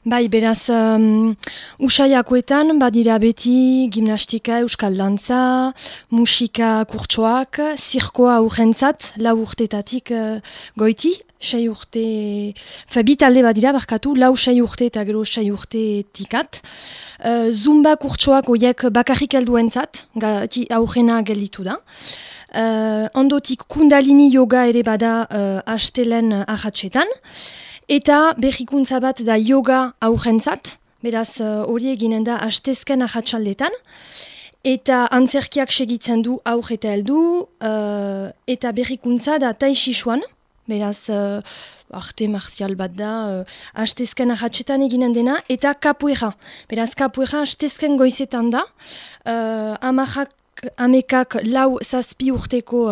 Bai, beraz, usaiakoetan badira beti gimnastika, euskal dantza, musika kurtsoak, zirkoa aurrentzat, 4 urtetatik goiti, 6 urte, bi talde badira barkatu, 4-6 urte eta gero 6 urtetikat. Zumba kurtsoak oiek bakarrik helduentzat, aurrena gelditu da. Ondotik kundalini yoga ere bada astelen ahatsetan. Eta berrikuntza bat da yoga aurrentzat, beraz hori eginen da astezken ahatsaldetan. Eta antzerkiak segitzen du aur eta heldu, eta berrikuntza da tai chi chuan, beraz arte marzial bat da, astezken ahatsetan eginen dena, eta capoeira. Beraz capoeira astezken goizetan da, amekak 4-7 urteko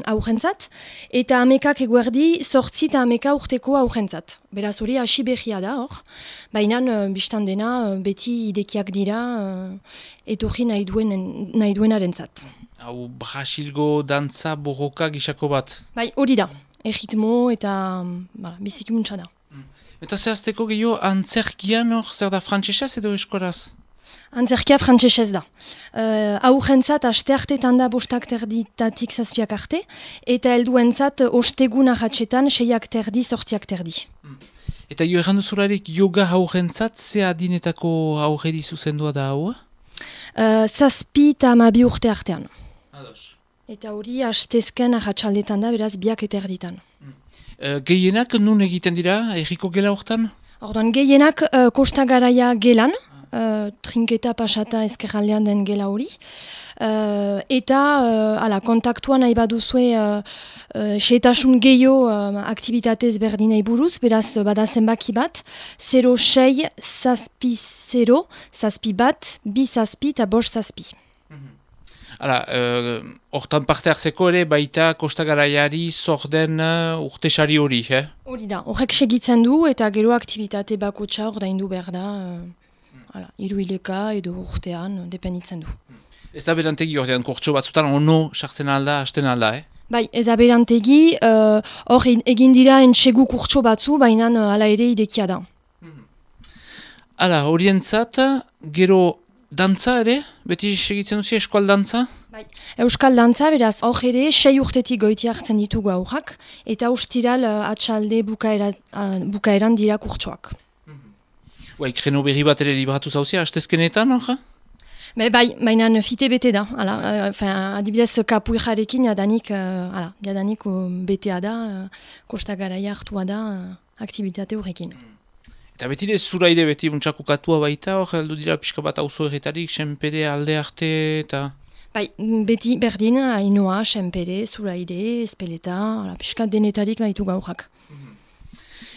aurrentzat, eta amekak eguerdi 8 eta ameka urteko aurrentzat. Beraz hori hasi berria da hor, baina biztan dena beti idekiak dira etorri nahi duenarentzat. Hau Brasilgo dantza borroka gisako bat? Bai, hori da, erritmo eta biziki muntza da. Eta zehazteko gehiago antzerkian hor, zer da frantsesez edo eskoraz? Antzerkia frantsesez da. Aurrentzat asteartetan da 5:30 7 arte, eta helduentzat ostegun ahatsetan 6:30 8:30. Eta jo errandu zurarik yoga aurrentzat, ze adinetako aurreri zuzendua da hau? 7 eta 12 urte artean. Ados. Eta hori astezken ahatsaldetan da, beraz 2:30. Gehienak nun egiten dira, erriko gela hortan? Orduan gehienak Kosta Garaia gelan, trinketa pasata ezkerraldean den gela hori. Eta kontaktua nahi baduzue xehetasun gehiago aktibitatez berdinei buruz, beraz bada zenbaki bat, 06 zazpi 0, zazpi bat, 2 zazpi eta 5 zazpi. Hortan parte hartzeko ere baita Kosta Garaiari zorden urtesari hori, Hori da, horrek segitzen du eta gero aktibitate bakotxa ordaindu behar da, hiruhileka edo urtean, dependitzen du. Ez da berantegi ordean kurtso batzutan ono sartzen alda, hasten alda, Bai, ez da berantegi, hor egin dira entsegu kurtso batzu, baina hala ere idekia da. Horientzat, gero dantza ere? Beti segitzen duzi eskual dantza? Bai, euskal dantza, beraz, hor ere 6 urtetik goiti hartzen ditugu aurrak, eta ostiral atxalde bukaeran dira kurtsoak. Kreno berri bat ere libratu zauzia, hastezkenetan, hor? Bai, baina fite bete da. Adibidez, kapuirarekin jadanik betea da, Kosta Garaia hartua da aktibitate horrekin. Eta beti zuraide beti untxakukatua baita, hor heldu dira pixka bat auzo erretarik, senpere, alde arte eta... Bai, beti berdin, Ainoa, senpere, zuraide, espeleta, pixka denetarik baitu gaurrak.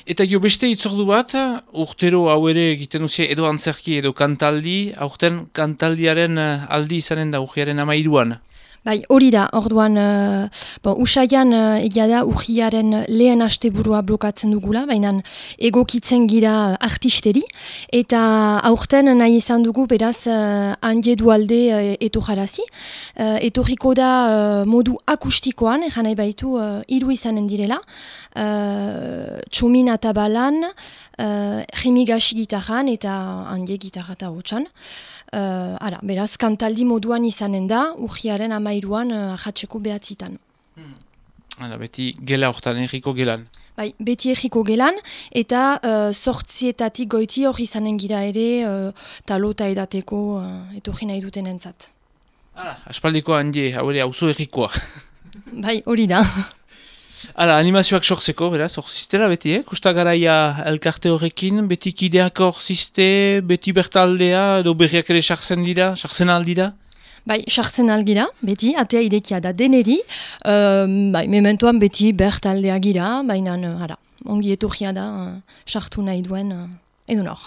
Eta jo beste itzordu bat, urtero hau ere egiten duzie edo antzerki edo kantaldi, aurten kantaldiaren aldi izanen da urriaren 13an. Bai, hori da, orduan, usaian egia da urriaren lehen asteburua blokatzen dugula, baina egokitzen gira artisteri, eta aurten nahi izan dugu beraz handi dualde etorjarazi. Etorriko da modu akustikoan, egan nahi baitu 3 izanen direla, Txomin Atabalan, Remigasi gitarran eta handi gitarra eta hotxan. Beraz, kantaldi moduan izanen da, urriaren 13an ahatzeko behatzitan. Beti gela hortan, erriko gelan. Bai, beti erriko gelan, eta 8 goiti hor izanen gira ere, talota edateko etorri nahi duten entzat. Aspaldiko handi, hau ere, auzo errikoa. Bai, hori da. Animazioak sortzeko, beraz, hor ziztela beti, Kosta Garaia elkarte horrekin, beti kideak hor zizte, beti bertaldea, edo berriak ere sartzen aldira? Bai, sartzen algira, beti, atea idekia da deneri, mementoan beti bertaldea gira, baina, ongi etorria da, sartu nahi duen, edo nor.